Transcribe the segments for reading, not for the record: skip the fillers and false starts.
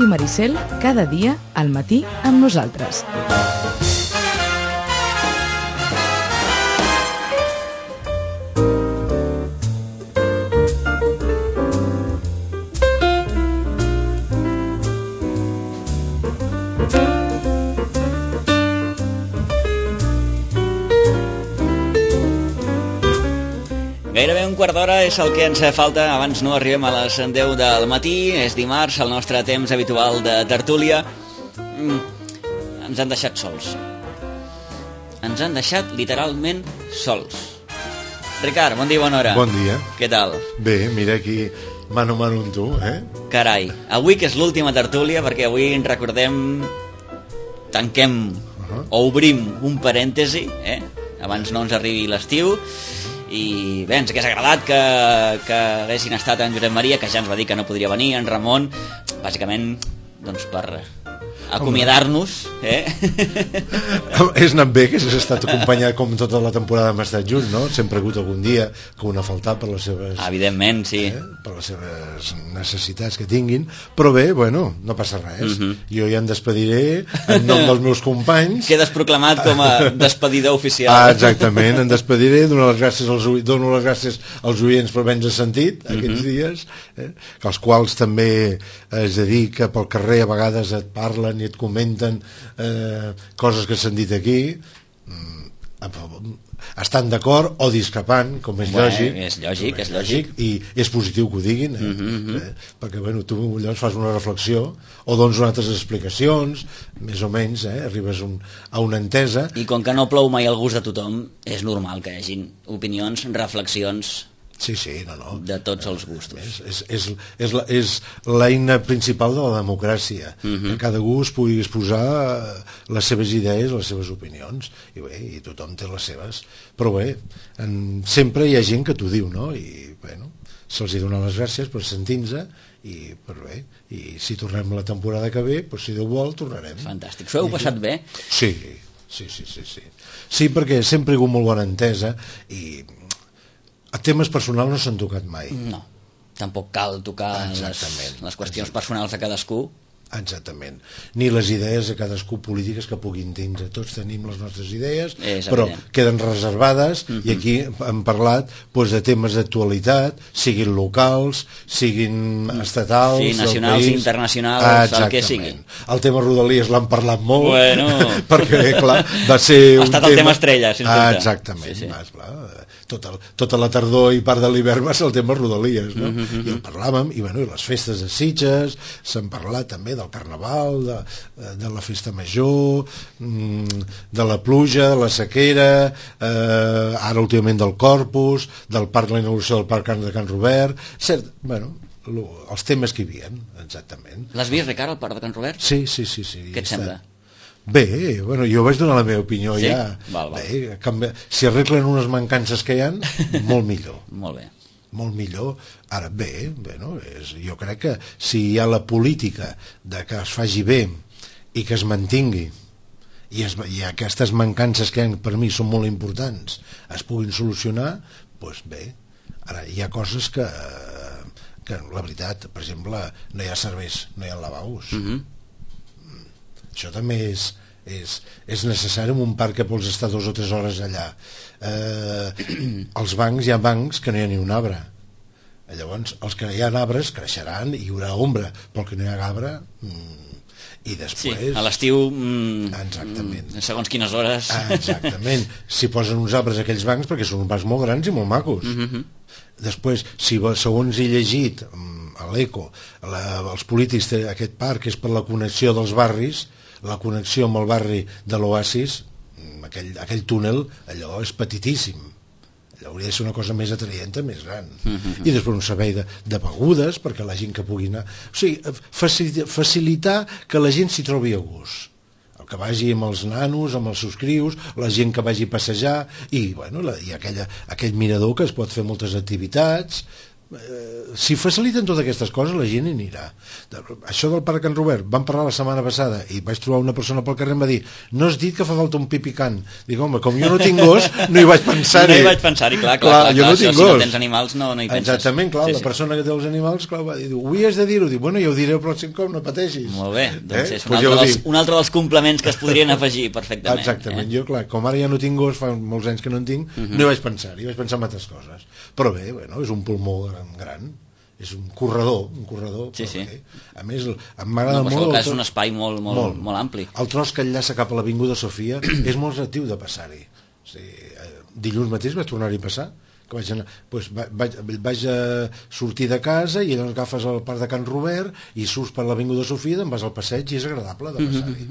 Ràdio Maricel, cada dia, al matí, amb nosaltres. Gairebé un quart d'hora és el que ens falta, abans no arribem a les 10 del matí, és dimarts, el nostre temps habitual de tertúlia. Ens han deixat sols. Ens han deixat literalment sols. Ricard, bon dia, bona hora. Bon dia. Què tal? Bé, mira aquí, mano a mano amb tu, Carai, avui que és l'última tertúlia, perquè avui ens recordem, tanquem o obrim un parèntesi, abans no ens arribi l'estiu, i bé, ens hagués agradat que haguessin estat en Josep Maria, que ja ens va dir que no podria venir, en Ramon, bàsicament doncs per acomiadar-nos. És anat bé que s'has estat acompanyat com tota la temporada hem estat junts, no? Sempre ha hagut algun dia que un ha faltat per les seves... Evidentment, sí. Per les seves necessitats que tinguin, però bé, bueno, no passa res. Jo ja em despediré en nom dels meus companys. Quedes proclamat com a despedidor oficial. Exactament, em despediré, dono les gràcies als oients per haver-nos sentit aquests dies, que els quals també es dedica pel carrer, a vegades et parlen i et comenten coses que s'han dit aquí, estan d'acord o discrepant, com és lògic. És lògic. I és positiu que ho diguin, perquè bueno, tu llavors fas una reflexió o dones unes altres explicacions, més o menys, arribes a una entesa. I com que no plou mai al gust de tothom, és normal que hi hagin opinions, reflexions... Sí, no. De tots els gustos. És l'eina principal de la democràcia, que cada gú es pugui exposar les seves idees, les seves opinions, i bé, i tothom té les seves. Però bé, sempre hi ha gent que t'ho diu, no? I bueno, se'ls dona les gràcies per sentir-nos, i per bé, i si tornem la temporada que ve, doncs si Déu vol, tornarem. Fantàstic. S'ho heu passat bé? Sí. Sí, perquè sempre hi ha hagut molt bona entesa, i a temes personals no s'han tocat mai. No, tampoc cal tocar les qüestions personals de cadascú. Exactament. Ni les idees de cadascú polítiques que puguin tindre. Tots tenim les nostres idees, però queden reservades, i aquí hem parlat de temes d'actualitat, siguin locals, siguin estatals, sí, nacionals, internacionals, el que sigui. El tema Rodalies l'han parlat molt, perquè, clar, va ser ha estat el tema estrella, sens dubte. Exactament, sí. Tota la tardor i part de l'hivern va ser el tema Rodalies, no? I el parlàvem, i bueno, les festes de Sitges, s'han parlat també del carnaval, de la festa major, de la pluja, de la sequera, ara últimament del Corpus, del parc, la inauguració del parc de Can Robert, cert, bueno, els temes que hi havia, exactament. L'has vist, Ricard, al parc de Can Robert? Sí. Què et sembla? Bé, bueno, jo vaig donar la meva opinió, sí? Ja. Val. Bé, si arreglen unes mancances que hi ha, molt millor. Molt millor. Ara bé, bueno, jo crec que si hi ha la política de que es faci bé i que es mantingui, i aquestes mancances que per mi són molt importants es puguin solucionar, doncs bé. Ara hi ha coses que la veritat, per exemple, no hi ha serveis, no hi ha lavabos. Això també és necessari en un parc que pots estar 2 o 3 hores allà. Els bancs, hi ha bancs que no hi ha ni un arbre. Llavors, els que hi ha arbres creixeran i hi haurà ombra, però que no hi ha arbre... I després... Sí, a l'estiu... Exactament. Segons quines hores... Exactament. Si posen uns arbres a aquells bancs, perquè són uns bancs molt grans i molt macos. Després, si segons he llegit a l'Eco, els polítics d'aquest parc és per la connexió dels barris, la connexió amb el barri de l'Oasis, aquell túnel, allò és petitíssim. Allò hauria de ser una cosa més atraient, més gran. I després un servei de begudes, perquè la gent que pugui anar... O sigui, facilitar que la gent s'hi trobi a gust. El que vagi amb els nanos, amb els seus crios, la gent que vagi a passejar, i bueno, hi ha aquell mirador que es pot fer moltes activitats, si faciliten totes aquestes coses la gent hi anirà. Això del Parc Can Robert vam parlar la setmana passada i vaig trobar una persona pel carrer i em va dir no has dit que fa falta un pipicant. Dic, home, com jo no tinc gos no hi vaig pensar-hi. No hi vaig pensar-hi, clar, jo no tinc si gos. no tens animals no hi penses. Exactament, clar, la persona que té els animals clar, va dir, ho havies de dir-ho, dic, bueno, ja ho diré el pròxim cop, no pateixis. Molt bé, doncs és un altre dels complements que es podrien afegir perfectament. Exactament, jo clar, com ara ja no tinc gos, fa molts anys que no en tinc, no hi vaig pensar-hi, vaig pensar en altres coses. Però bé, bueno, és un pulmó gran, és un corredor, sí. A més, m'agrada molt... És un espai molt ampli. El tros que enllaça cap a l'Avinguda Sofia és molt atractiu de passar-hi. O sigui, dilluns mateix vaig tornar-hi a passar, que vaig anar, doncs vaig sortir de casa i llavors agafes el Parc de Can Robert i surts per l'Avinguda Sofia, te'n vas al passeig i és agradable de passar-hi.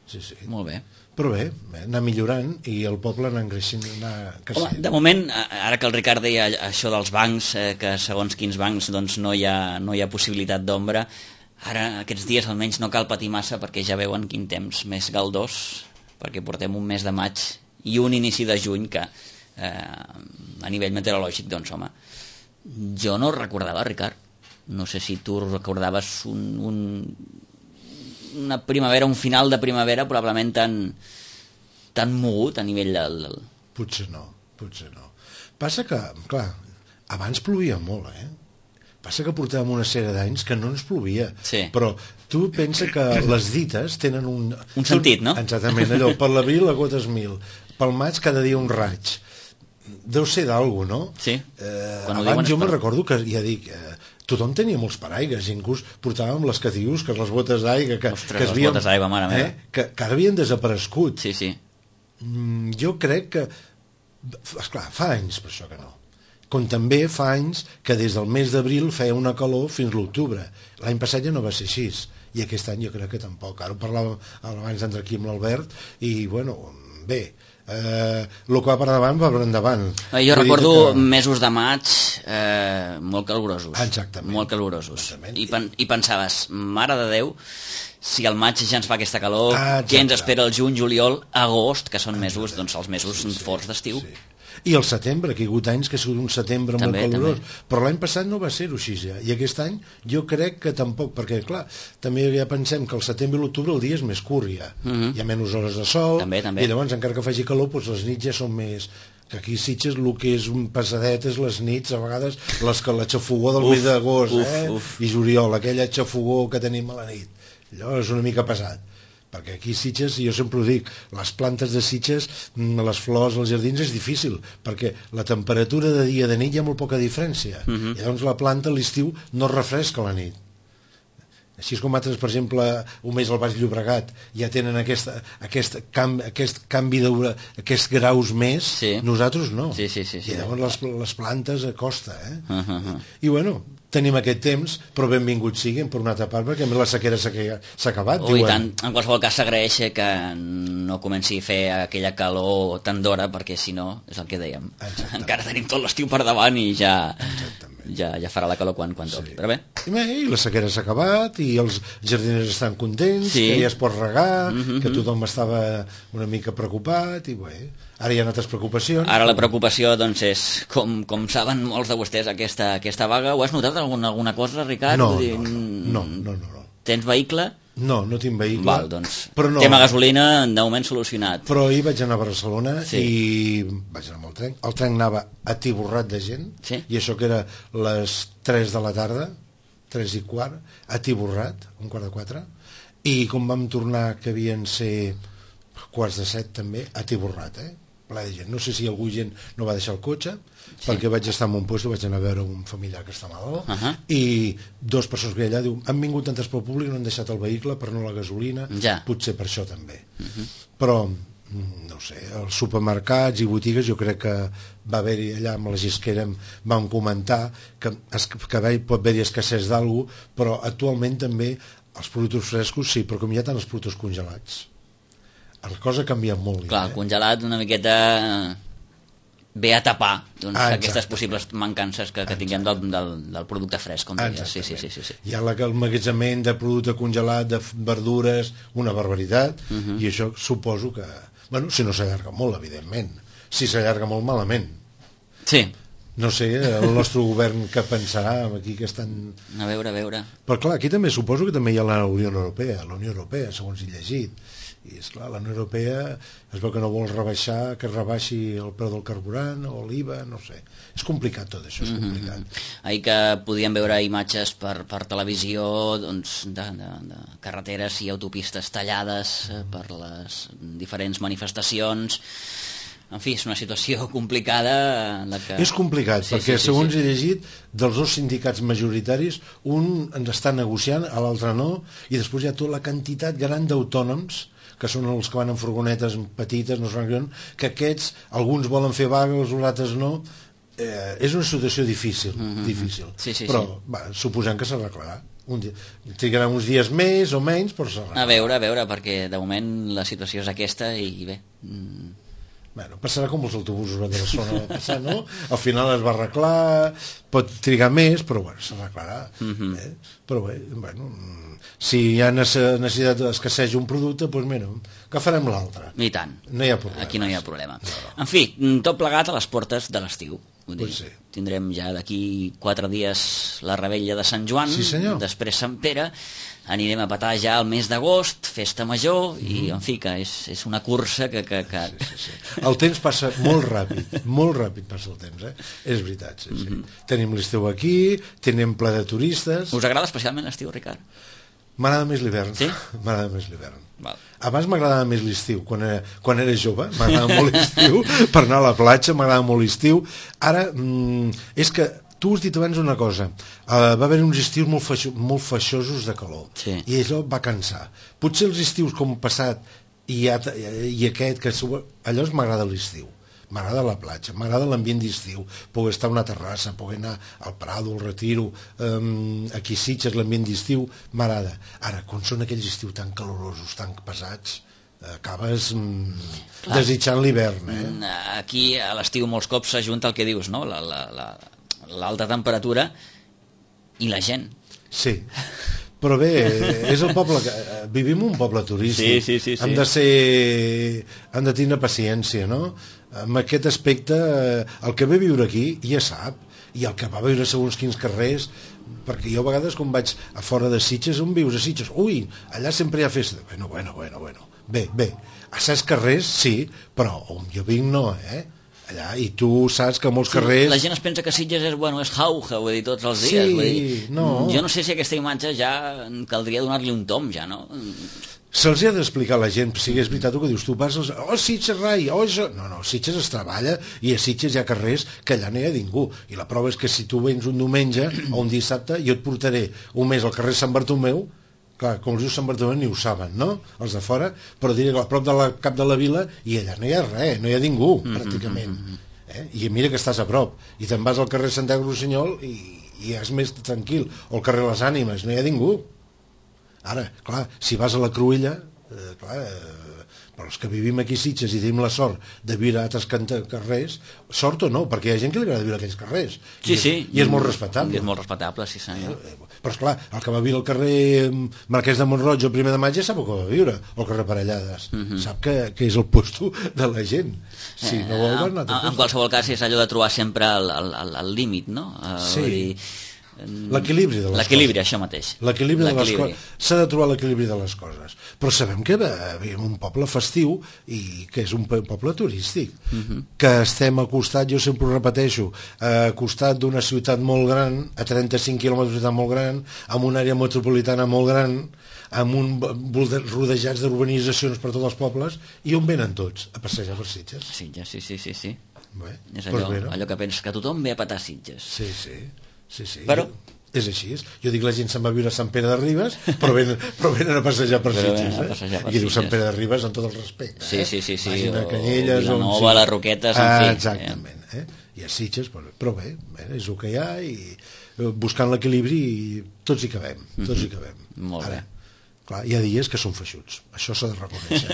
Sí. Molt bé. Però bé, anar millorant i el poble anar creixent, anar creixent. Home, de moment, ara que el Ricard deia això dels bancs, que segons quins bancs doncs, no hi ha possibilitat d'ombra, ara aquests dies almenys no cal patir massa perquè ja veuen quin temps més galdós, perquè portem un mes de maig i un inici de juny que a nivell meteorològic, doncs home, jo no recordava, Ricard, no sé si tu recordaves una primavera, un final de primavera probablement tan mogut a nivell del... Potser no. Passa que, clar, abans plovia molt, Passa que portàvem una sèrie d'anys que no ens plovia. Sí. Però tu pensa que les dites tenen un sentit, no? Exactament, allò, per l'abril la gotes 1000, pel maig cada dia un raig. Deu ser d'algú, no? Sí. Abans jo me'n recordo que, ja dic... tothom tenia molts paraigues, inclús portàvem les catius, que les botes d'aigua que les botes d'aigua, mare meva. Que ara havien desaparegut. Sí. Jo crec que esclar, fa anys per això que no, com també fa anys que des del mes d'abril feia una calor fins l'octubre. L'any passat ja no va ser així i aquest any jo crec que tampoc. Ara ho parlàvem abans d'entrar aquí amb l'Albert i bueno, bé, el que va per davant va per endavant. Jo recordo mesos de maig molt calorosos. Exactament. Molt calorosos. I pensaves, mare de Déu, si al maig ja ens fa aquesta calor, què ens espera el juny, juliol, agost, que són mesos, doncs els mesos forts d'estiu. Sí. I el setembre, que hi ha hagut anys que ha sigut un setembre molt calorós, però l'any passat no va ser-ho així ja, i aquest any jo crec que tampoc, perquè clar, també ja pensem que el setembre i l'octubre el dia és més curt ja, hi ha menys hores de sol, també. I llavors encara que faci calor doncs les nits ja són més, que aquí a Sitges el que és un pesadet és les nits a vegades la xafogó del mes d'agost i juliol, aquella xafogó que tenim a la nit, allò és una mica pesat, perquè aquí a Sitges, jo sempre ho dic, les plantes de Sitges, les flors, els jardins és difícil, perquè la temperatura de dia i de nit hi ha molt poca diferència, i llavors la planta a l'estiu no refresca la nit. Així és com altres, per exemple, un mes al Baix Llobregat ja tenen aquest canvi aquests graus més, nosaltres no. Sí. I llavors les plantes costa, I bueno, tenim aquest temps, però benvinguts siguin per una altra part, perquè a més la sequera s'ha acabat. I tant, en qualsevol cas s'agraeix que no comenci a fer aquella calor tan d'hora, perquè si no, és el que dèiem, encara tenim tot l'estiu per davant i ja farà la calor quan toqui, però bé. I la sequera s'ha acabat i els jardiners estan contents, que ja es pot regar, que tothom estava una mica preocupat i bé, ara hi ha altres preocupacions. Ara la preocupació doncs és, com saben molts de vostès, aquesta vaga. Ho has notat alguna cosa, Ricard? No. Tens vehicle? No tinc vehicle. Val, doncs, tema gasolina de moment solucionat. Però ahir vaig anar a Barcelona i vaig anar amb el tren. El tren anava atiborrat de gent, i això que era les 3 de la tarda, 3 i quart, atiborrat, 3:45, i com vam tornar, que havien ser 6:45 també, atiborrat, ple de gent. No sé si algú gent no va deixar el cotxe, perquè vaig estar en un lloc, vaig anar a veure un familiar que està malalt, i 2 persones que hi ha allà diuen, han vingut en transport públic, no han deixat el vehicle per no la gasolina, potser per això també. Però, no sé, els supermercats i botigues, jo crec que va haver-hi allà amb la Gisquera, vam comentar que pot haver-hi escassez d'algú, però actualment també els productes frescos sí, però com hi ha tant els productes congelats, la cosa ha canviat molt. Clar, el congelat una miqueta ve a tapar aquestes possibles mancances que tinguem del producte fresc, com deies. Sí. Hi ha l'emmagatzemament de producte congelat, de verdures, una barbaritat, i això suposo que, bueno, si no s'allarga molt, evidentment, si s'allarga molt malament. Sí. No sé, el nostre govern què pensarà aquí que estan... A veure. Però clar, aquí també suposo que també hi ha la Unió Europea, segons he llegit. I esclar, la Unió Europea es veu que no vol rebaixar, que rebaixi el preu del carburant o l'IVA, no sé. És complicat tot això, és complicat. Ahir que podíem veure imatges per televisió doncs, de carreteres i autopistes tallades per les diferents manifestacions. En fi, és una situació complicada en la que... És complicat, perquè segons he llegit, dels dos sindicats majoritaris, un ens està negociant, a l'altre no, i després hi ha tota la quantitat gran d'autònoms, que són els que van en furgonetes petites, no sé que aquests, alguns volen fer vaga, els altres no. És una situació difícil, difícil. Però suposem que s'arreglarà. Trigarà uns dies més o menys, però s'arreglarà. A veure, perquè de moment la situació és aquesta i bé... Bueno, passarà com els autobusos de Barcelona va passar, no? Al final es va arreglar, pot trigar més, però bueno, s'arreglarà. Però bé, bueno, si hi ha necessitat d'escasseig un producte, doncs mira, agafarem l'altre. I tant. No hi ha problema. Aquí no hi ha problema. No. En fi, tot plegat a les portes de l'estiu. Pues sí. Tindrem ja d'aquí 4 dies la revetlla de Sant Joan, després Sant Pere, anirem a petar ja el mes d'agost, festa major, i en fi, que és una cursa que... Sí. El temps passa molt ràpid passa el temps, és veritat. Tenim l'estiu aquí, tenim ple de turistes... Us agrada especialment l'estiu, Ricard? M'agrada més l'hivern. Sí? M'agrada més l'hivern. Val. Abans m'agradava més l'estiu, quan era jove m'agradava molt l'estiu, per anar a la platja m'agradava molt l'estiu. Ara, és que tu has dit abans una cosa, va haver uns estius molt feixosos de calor, i això va cansar. Potser els estius com passat i aquest, que allò m'agrada l'estiu. M'agrada la platja, m'agrada l'ambient d'estiu, poder estar a una terrassa, poder anar al Prado, al Retiro, aquí a Sitges, l'ambient d'estiu, m'agrada. Ara, quan són aquells estius tan calorosos, tan pesats, acabes desitjant l'hivern. Aquí a l'estiu molts cops s'ajunta el que dius, no? L'alta temperatura i la gent. Sí. Però bé, és el poble vivim un poble turístic. Sí. Hem de tenir paciència, no? En aquest aspecte, el que ve a viure aquí ja sap, i el que va viure segons quins carrers, perquè jo a vegades quan vaig a fora de Sitges, on vius a Sitges? Ui, allà sempre hi ha festa. Bueno. Bé, a certs carrers sí, però on jo vinc no, allà, i tu saps que molts carrers... La gent es pensa que Sitges és jauja, vull dir, tots els dies. Sí, no. Jo no sé si aquesta imatge ja caldria donar-li un tom, ja, no? Se'ls ha d'explicar a la gent, si és veritat el que dius, tu passes, Sitges rai, No, Sitges es treballa i a Sitges hi ha carrers que allà no hi ha ningú, i la prova és que si tu vens un diumenge o un dissabte, jo et portaré un mes al carrer Sant Bartomeu, clar, com els dius Sant Bartomeu ni ho saben, no? Els de fora, però diré que a prop del cap de la vila i allà no hi ha res, no hi ha ningú, pràcticament. I mira que estàs a prop, i te'n vas al carrer Santiago Rossinyol i és més tranquil, o al carrer Les Ànimes, no hi ha ningú. Ara, clar, si vas a la Cruïlla, però els que vivim aquí a Sitges i tenim la sort de viure a altres carrers, sort o no, perquè hi ha gent que li agrada viure a aquells carrers. Sí. I és molt respectable. I és molt respectable, sí senyor. Però esclar, el que va viure al carrer Marquès de Montroig el 1 de maig ja sap que va viure, o al carrer Parellades. Sap que és el puesto de la gent. Si no vol, va anar a en qualsevol cas és allò de trobar sempre el límit, no? Sí. L'equilibri de les coses. L'equilibri, això mateix. L'equilibri de les coses. S'ha de trobar l'equilibri de les coses. Però sabem que vivim un poble festiu i que és un poble turístic. Que estem al costat, jo sempre ho repeteixo, al costat d'una ciutat molt gran, a 35 quilòmetres d'una ciutat molt gran, amb una àrea metropolitana molt gran, amb rodejats d'urbanitzacions per tots els pobles, i on venen tots? A passejar per Sitges. Sitges, sí. Bé, és allò que penses, que tothom ve a petar Sitges. Sí. Però és així. Jo dic la gent se'n va viure a Sant Pere de Ribes, però venen a passejar per Sitges. I diu Sant Pere de Ribes amb tot el respecte. Sí. Vagin a Canyelles, Vilanova, les Roquetes, en fi. Exactament. I a Sitges, però bé, és el que hi ha, i buscant l'equilibri tots hi cabem. Molt bé. Clar, hi ha dies que són feixuts, això s'ha de reconèixer.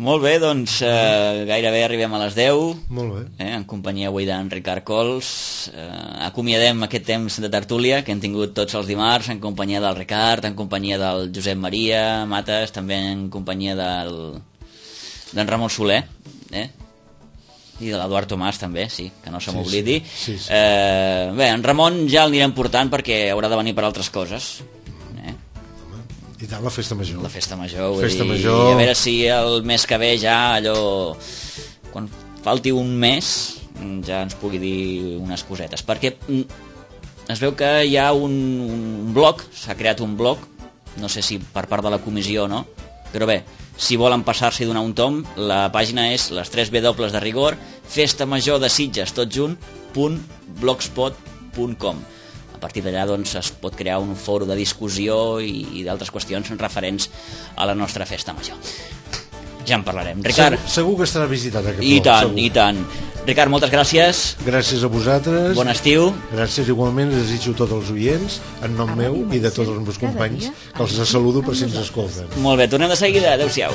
Molt bé, doncs gairebé arribem a les 10. Molt bé. En companyia avui d'en Ricard Cols. Acomiadem aquest temps de tertúlia que hem tingut tots els dimarts en companyia del Ricard, en companyia del Josep Maria Mates, també en companyia d'en Ramon Soler. I de l'Eduard Tomàs també, sí, que no se m'oblidi. Sí. Bé, en Ramon ja l'anirem portant perquè haurà de venir per altres coses. I tant, la festa major. La festa major, major. A veure si el mes que ve ja allò, quan falti un mes, ja ens pugui dir unes cosetes, perquè es veu que hi ha un blog, s'ha creat un blog, no sé si per part de la comissió o no, però bé, si volen passar-s'hi i donar un tom, la pàgina és les 3 W de rigor, festamajor de Sitges, tot junt, .blogspot.com. A partir d'allà doncs, es pot crear un foro de discussió i d'altres qüestions referents a la nostra festa major. Ja en parlarem. Ricard... Segur que estarà visitat aquest I blog. tant, i tant. Ricard, moltes gràcies. Gràcies a vosaltres. Bon estiu. Gràcies igualment, desitjo a tots els oients, en nom meu i de tots els meus companys, que els saludo per si ens escolten. Molt bé, tornem de seguida. Adéu-siau.